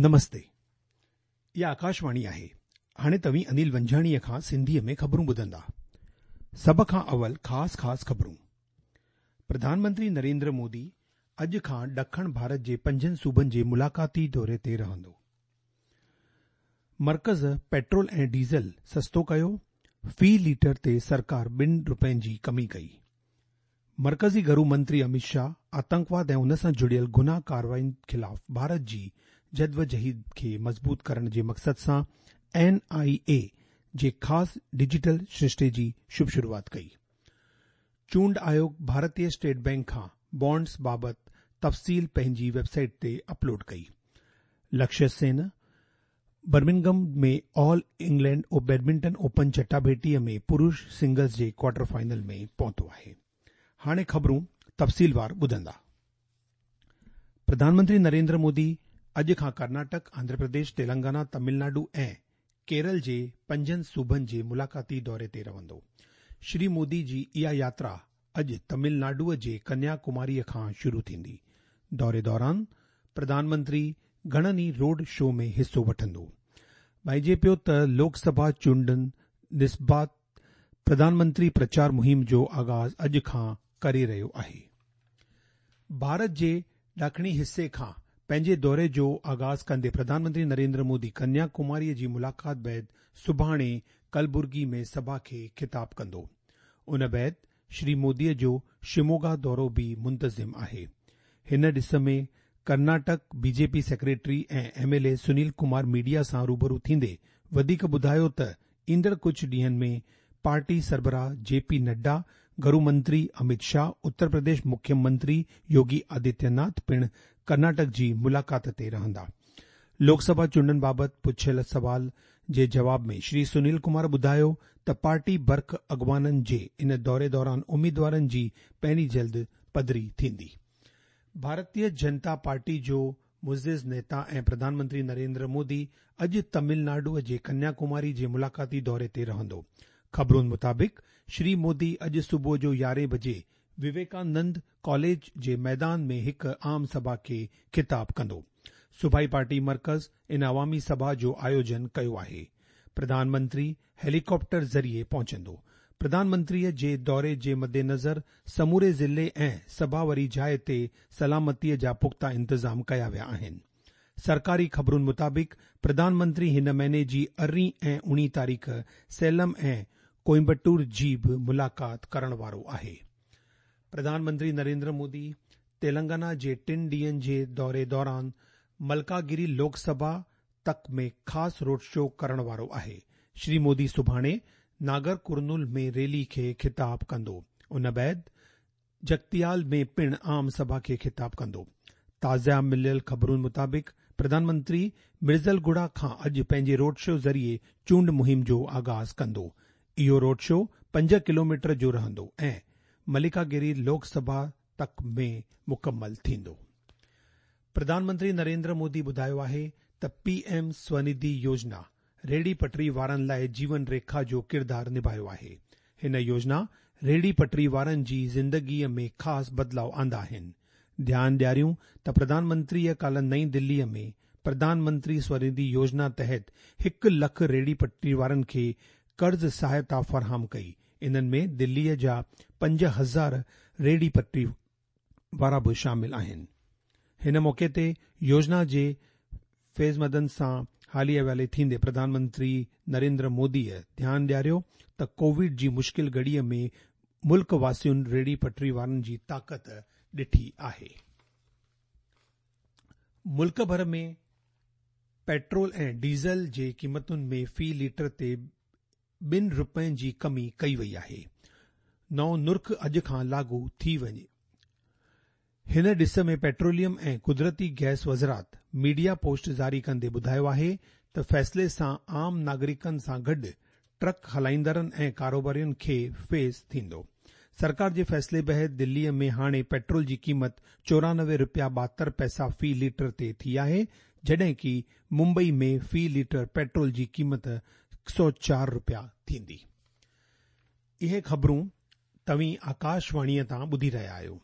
نمستي. اها آڪاشواڻي آهي. هاڻي توهين انيل ونجهاڻيء کان سنڌيء ۾ خبرون ٻڌندا. سڀ کان اول خاص خاص خبرون. پرڌان منتري نريندر مودي اڄ کان ڏکڻ ڀارت جي پنجن صوبن جي ملاقاتي دوري تي رهندو. مرڪز پيٽرول ۽ ڊيزل سستو ڪيو، في ليٽر تي سرڪار ٻن رپين جي ڪمي ڪئي. مرڪزي گهرو منتري اميت شاهه آتنڪواد ۽ ان سان جڙيل گناهه ڪارروائين خلاف ڀارت جي جدوجهد کي مضبوط ڪرڻ جي مقصد سان اين آء اي جي خاص ڊجيٽل سرشتي جي شڀ شروعات ڪئي. چونڊ آيوگ ڀارتي اسٽيٽ بئنڪ کان بانڊز بابت تفصيل پنهنجي ويب سائيٽ تي اپلوڊ ڪئي. Lakshya Sen Birmingham ۾ All England badminton open چٽاڀيٽيء ۾ پرش سنگلز جي ڪوارٽر فائنل ۾ پهتو آهي. هاڻي خبرون تفصيلوار ٻڌندا. پرڌان منتري نريندر مودي اڄ کان ڪرناٽڪ، آنڌرا پرديش، تيلنگانا، تمل ناڊو ۽ ڪيرل جي پنجن صوبن جي ملاقاتي دوري تي رهندو. شري مودي جي اها ياترا اڄ تمل ناڊوء جي ڪنيا ڪماريء کان شروع ٿيندي. دوري دوران پرڌان منتري گهڻن ئي روڊ شو ۾ حصو وٺندو. ڀائنجي پيو ته لوڪ سڀا چونڊن نسبت پرڌان منتري پرچار مهم جو آغاز اڄ کان ڪري رهيو آهي. ڀارت جي ڏاکڻي حصي کان پنهنجي دوري جو آغاز ڪندي پرڌان منتري نريندر مودي ڪنيا ڪماريء جي ملاقات بعد سڀاڻي ڪلبرگي ۾ سڀا کي خطاب ڪندو. ان بعد شري موديء جو شموگا دورو به منتظم آهي. هن ڏس ۾ Karnataka B J P secretary ۽ M L A Sunil Kumar media سان روبرو ٿيندي وڌيڪ ٻڌايو ته ايندڙ ڪجهه ڏينهن ۾ پارٽي سربراهه جي پي نڊا، گهرو منتري اميت شاهه، اتر پرديش مکيه منتري يوگي آدتيه ناٿ پڻ ڪرناٽڪ جي ملاقات تي رهندا. لوڪ سڀا چونڊن بابت پڇيل سوال جي جواب ۾ شري سنيل ڪمار ٻڌايو ته پارٽي برک اڳواڻن جي ان دوري دوران اميدوارن جي پهرين جلد پڌري ٿيندي. ڀارتيه جنتا پارٽي جو معزز نيتا ۽ پرڌان منتري نريندر مودي اڄ تمل ناڊو جي ڪنيا ڪماري جي ملاقاتي دوري تي رهندو. خبرن مطابق شري مودي اڄ صبح جو يارهين بجي وويڪانند ڪاليج جي ميدان ۾ هڪ عام سڀا کي خطاب ڪندو. صوبائي پارٽي مرڪز ان عوامي سڀا جو آيوجن ڪيو آهي. پرڌان منتري هيليڪاپٽر ذريعي پهچندو. پرڌان منتري جي دوري جي مدنظر سموري ضلعي ۽ سڀا واري جاء تي سلامتي جا پختا انتظام ڪيا ويا آهن. سرڪاري خبرن مطابق پرڌان منتري هن مهيني جي ارڙهين ۽ اوڻيهين تاريخ سيلم ۽ ڪوئمبٽور جي به ملاقات ڪرڻ وارو آهي. پرڌان منتري نريندر مودي تيلنگانا جي ٽن ڏينهن جي دوري دوران ملڪاگري لوڪ سڀا تڪ ۾ خاص روڊ شو ڪرڻ وارو آهي. شري مودي سڀاڻي ناگر ڪرنول ۾ ريلي کي خطاب ڪندو. ان بعد جگتيال ۾ پڻ عام سڀا کي خطاب ڪندو. تازه مليل خبرن مطابق پرڌان منتري مرزلگوڙا کان اڄ پنهنجي روڊ شو ذريعي چونڊ مهم جو آغاز ڪندو. اهو روڊ شو پنج ڪلوميٽر جو رهندو ۽ ملڪاگري لوڪ سڀا تڪ ۾ مڪمل ٿيندو. پرڌان منتري نريندر مودي ٻڌايو آهي ته پي ايم سونڌي يوجنا ريڙهي پٽري وارن لاء جيون ريکا جو ڪردار نڀايو آهي. هن يوجنا ريڙهي پٽري وارن جي زندگيء ۾ خاص بدلاء آندا آهن. ڌيان ڏياريون ته پرڌان منتريء ڪالهه نئين دليء ۾ پرڌان منتري سونڌي يوجنا تحت هڪ لک ريڙهي پٽري وارن کي قرض سهائتا فراهم ڪئي. انهن ۾ دليء جا 5000 ريڙهي پٽري وارا به شامل آهن. هن موقعي تي يوجنا جي فيضمندن سان حالي احوالي ٿيندي پرڌان منتري نريندر موديء ڌيان ڏياريو ته ڪووڊ جي مشڪل گهڙيء ۾ ملڪ واسين ريڙهي پٽري وارن جي طاقت ڏٺي آهي. ملڪ ڀر ۾ پيٽرول ۽ ڊيزل جي قيمتن ۾ في ليٽر تي ٻن رپين جي ڪمي ڪئي وئي آهي. نئون نرخ اڄ کان لاڳو ٿي وڃي. هن ڏس ۾ پيٽروليم ۽ قدرتي گئس وزارت ميڊيا پوسٽ جاري ڪندي ٻڌايو آهي ته فيصلي سان عام ناگرڪن سان گڏ ٽرڪ هلائيندڙن ۽ ڪاروبارين کي فيض ٿيندو. سرڪار جي فيصلي بعد دلي ۾ هاڻي پيٽرول جي قيمت 94 رپيا 72 پئسا في ليٽر تي ٿي آهي جڏهن ڪي ممبئي ۾ في ليٽر پيٽرول جي قيمت 104 رپيا ٿيندي. اهي خبرون توهين آڪاش واڻيء تان ٻڌي رهيا آهيو.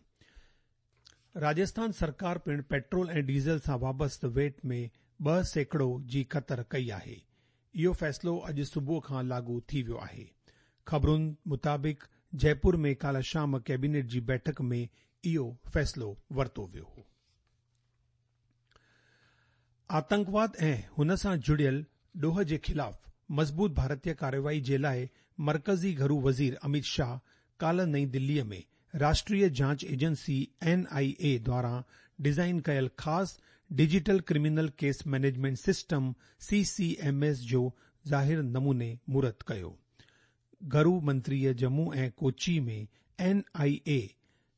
راجسٿان سرڪار پڻ پيٽرول ۽ ڊيزل سان وابسته ويٽ ۾ 2% جي ڪتر ڪئي آهي. اهو فيصلو اڄ صبح کان لاڳو ٿي ويو آهي. خبرن مطابق جئپور ۾ ڪالهه شام ڪيبينيٽ جي بيٺڪ ۾ اهو فيصلو ورتو ويو. آتنڪواد ۽ هن سان جڙيل ڏوهه جي خلاف مضبوط ڀارتي ڪارروائي جي لاء مرڪزي گهرو وزير اميت شاهه ڪالهه نئين دلي ۾ راشٽريه جاچ ايجنسي اين آء اي دواران ڊزائين ڪيل خاص digital criminal case management system C C M S جو ظاهر نموني مهورت ڪيو. گهرو منتريء ڄمون ۽ ڪوچي ۾ اين آء اي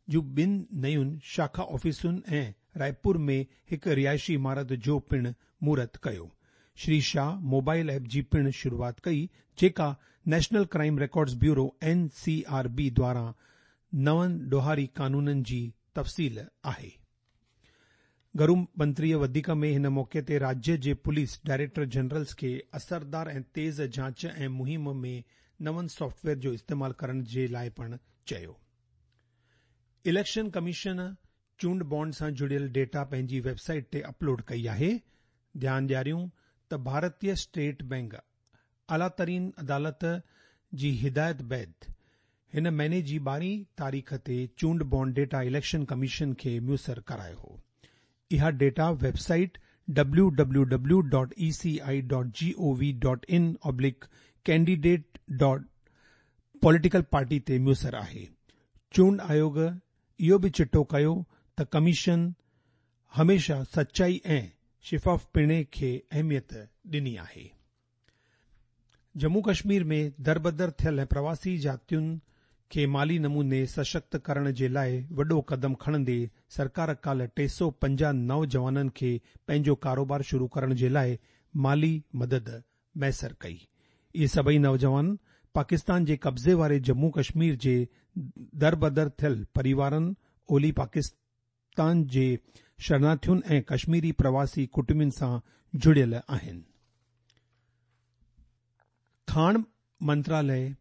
جون ٻن نيون شاخا آفيسن ۽ رائپور ۾ هڪ رهائشي عمارت جو پڻ مهورت ڪيو. شري شاهه موبائل ايپ جي پڻ شروعات ڪئي جيڪا national crime records bureau, N C R B, دواران نون ڏوهاري قانونن جي تفصيل آهي. گهرو منتريء وڌيڪ ۾ هن موقعي تي راجيه جي پوليس ڊائريڪٽر جنرلز کي اثردار ۽ تيز جاچ ۽ مهم ۾ نون سافٽ ويئر جو استعمال ڪرڻ جي لاء پڻ چيو. اليڪشن ڪميشن چونڊ بانڊ سان جڙيل ڊيٽا پنهنجي ويب سائيٽ تي اپلوڊ ڪئي آهي. ڌيان ڏياريون ته ڀارتي اسٽيٽ بئنڪ اعليٰ ترين عدالت جي هدايت بعد هن مهيني جي ٻارهين تاريخ تي چونڊ بانڊ ڊيٽا اليڪشن ڪميشن کي ميسر ڪرايو هو. اها data website W W W dot E C I dot G O V dot in oblique candidate dot political party تي ميسر آهي. چونڊ آيوڳ اهو به چٽو ڪيو ته ڪميشن هميشه سچائي ۽ شفافپڻي کي اهميت ڏني آهي. ڄمون ڪشمير ۾ دربدر ٿيل ۽ پرواسي جاتين کي مالي نموني سشڪت ڪرڻ جي لاء وڏو قدم کڻندي سرڪار ڪالهه 350 نوجوانن کي پنهنجو ڪاروبار شروع ڪرڻ جي لاء مالي مدد ميسر ڪئي. اهي سڀئي نوجوان پاڪستان جي قبضي واري ڄمون ڪشمير جي دربدر ٿيل پريوارن، اولي پاڪستان جي شرناٿين ۽ ڪشميري پرواسي ڪٽنبن سان جڙيل آهن. کاڻ منتراليه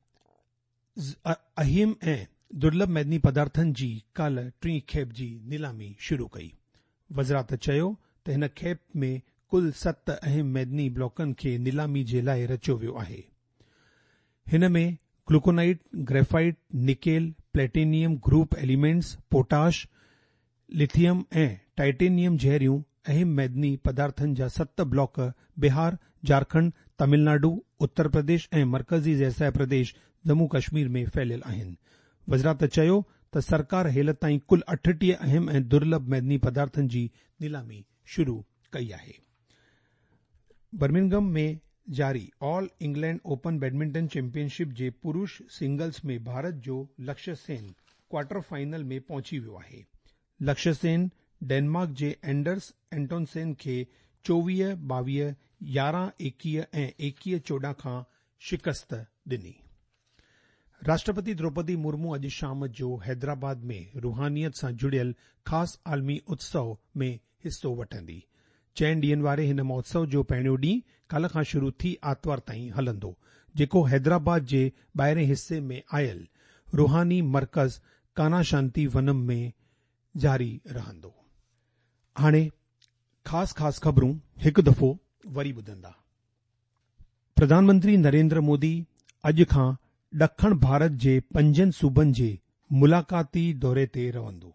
اهم ۽ درلڀ معدني پدارٿن جي ڪالهه ٽين کيپ جي نيلامي شروع ڪئي. وزارت چيو ته هن کيپ ۾ ڪل ست اهم معدني بلاڪن کي نيلامي جي لاء رچيو ويو آهي. هن ۾ glauconite, graphite, nickel, platinum group elements, potash, lithium ۽ titanium جهڙيون اهم معدني پدارٿن جا ست بلاڪ بهار، جهارکنڊ، تامل ناڊو، اتر پرديش ۽ مرڪزي زيرسايه پرديش ڄمون ڪشمير ۾ ڦهليل آهن. وزارت چيو ته سرڪار هيل تائين ڪل 38 اهم ۽ درلڀ معدني پدارٿن جي نيلامي شروع ڪئي آهي. برمنگهم ۾ جاري all England open badminton championship جي پرش سنگلز ۾ ڀارت جو لڪشيه سين ڪوارٽر فائنل ۾ پهچي ويو آهي. لڪشيه سين ڊينمارڪ جي اينڊرس اينٽونسين کي 24 22، 11 21 ۽ 21 14 کان شڪست ڏني. راشٽرپتي دروپدي مرمو اڄ شام جو حيدرآباد ۾ روحانيت سان جڙيل خاص عالمي اتسو ۾ حصو وٺندي. چئن ڏينهن واري هن مهوتسو جو پهريون ڏينهن ڪالهه کان شروع ٿي آتوار تائين هلندو، جيڪو حيدرآباد جي ٻاهرين حصي ۾ آيل روحاني مرڪز ڪانا شانتي ونم ۾ جاري رهندو. هاڻي خاص خاص خبرون هڪ دفعو وري ٻڌندا. پرڌان منتري نريندر مودي اڄ کان ڏکڻ ڀارت جي پنجن صوبن جي ملاقاتي دوري تي رهندو.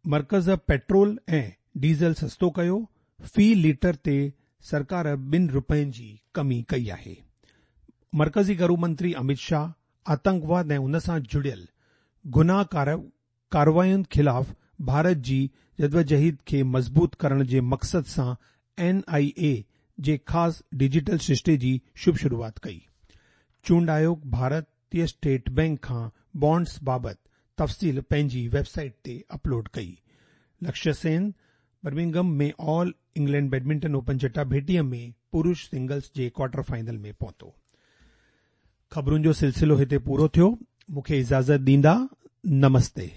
مرڪز پيٽرول ۽ ڊيزل سستو ڪيو، في ليٽر تي سرڪار ٻن رپين جي ڪمي ڪئي آهي. مرڪزي گهرو منتري اميت شاهه آتنڪواد ۽ ان سان جڙيل گناهه ڪاررواين خلاف ڀارت جي جدوجهد کي مضبوط ڪرڻ جي مقصد سان اين آء اي جي خاص ڊجيٽل سرشتي جي شڀ شروعات ڪئي. چونڊ آيوگ ڀارتي اسٽيٽ بئنڪ کان بانڊز بابت تفصيل پنهنجي ويب سائيٽ تي اپلوڊ ڪئي. Lakshya Sen Birmingham ۾ all England badminton open چٽاڀيٽي ۾ پرش سنگلز جي ڪوارٽر فائنل ۾ پهتو. خبرن جو سلسلو هتي پورو ٿيو. مون کي اجازت ڏيندا. نمستي.